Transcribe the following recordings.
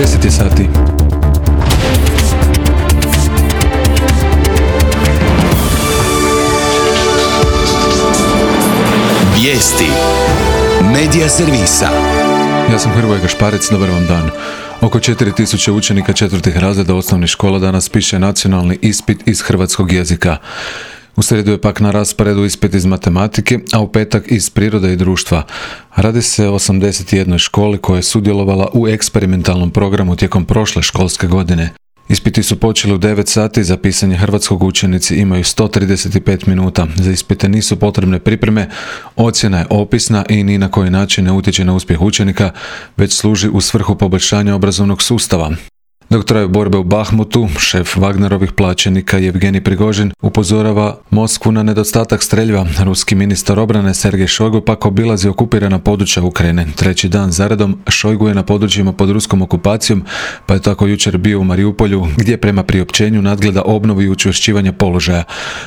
10 je sati. Vijesti Medija servisa. Ja sam Hrvoje Gašparec, dobar vam dan. Oko 4000 učenika četvrtih razreda osnovnih škola danas piše nacionalni ispit iz hrvatskog jezika. U srijedu je pak na rasporedu ispit iz matematike, a u petak iz prirode i društva. Radi se o 81 školi koja je sudjelovala u eksperimentalnom programu tijekom prošle školske godine. Ispiti su počeli u 9 sati, za pisanje hrvatskog učenici imaju 135 minuta. Za ispite nisu potrebne pripreme, ocjena je opisna i ni na koji način ne utječe na uspjeh učenika, već služi u svrhu poboljšanja obrazovnog sustava. Dok traju borbe u Bahmutu, šef Wagnerovih plaćenika Jevgenij Prigožin upozorava Moskvu na nedostatak streljiva. Ruski ministar obrane Sergej Šojgu pak obilazi okupirana područja Ukrajine. Treći dan zaredom Šojgu je na područjima pod ruskom okupacijom, pa je tako jučer bio u Mariupolju, gdje prema priopćenju nadgleda obnovu i učvršćivanje položaja.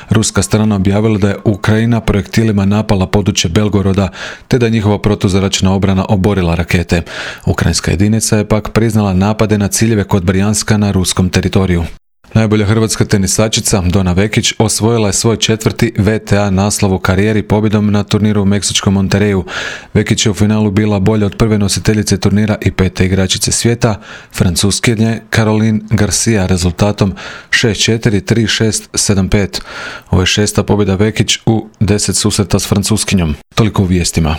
Ruska strana objavila da je Ukrajina projektilima napala područje Belgoroda, te da je njihova protuzračna obrana oborila rakete. Ukrajinska jedinica je pak priznala napade na ciljeve kod Brjanska na ruskom teritoriju. Najbolja hrvatska tenisačica Dona Vekić osvojila je svoj 4. WTA naslov u karijeri pobjedom na turniru u meksičkom Monterreyu. Vekić je u finalu bila bolja od prve nositeljice turnira i 5. igračice svijeta, Francuskinje Caroline Garcia, rezultatom 6-4, 3-6, 7-5. Ovo je 6. pobjeda Vekić u 10 susreta s Francuskinjom. Toliko u vijestima.